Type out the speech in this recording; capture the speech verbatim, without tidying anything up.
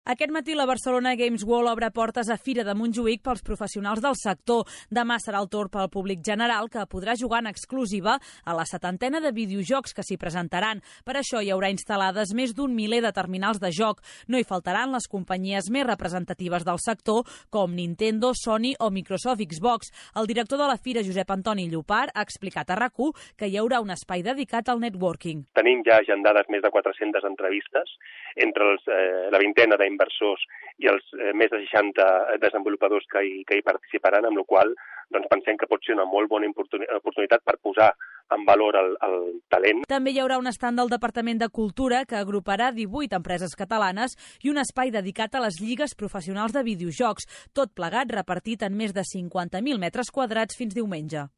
Aquest matí la Barcelona Games World obre portes a Fira de Montjuïc pels professionals del sector. Demà serà el torn pel públic general, que podrà jugar en exclusiva a la setantena de videojocs que s'hi presentaran. Per això hi haurà instal·lades més d'un miler de terminals de joc. No hi faltaran les companyies més representatives del sector, com Nintendo, Sony o Microsoft Xbox. El director de la Fira, Josep Antoni Llopart, ha explicat a RAC u que hi haurà un espai dedicat al networking. Tenim ja agendades més de quatre-centes entrevistes entre els, eh, la vintena d'inversors i els eh, més de seixanta desenvolupadors que hi, que hi participaran, amb la qual doncs, pensem que pot ser una molt bona oportunitat per posar en valor el, el talent. També hi haurà un estand del Departament de Cultura que agruparà divuit empreses catalanes i un espai dedicat a les lligues professionals de videojocs, tot plegat repartit en més de cinquanta mil metres quadrats fins diumenge.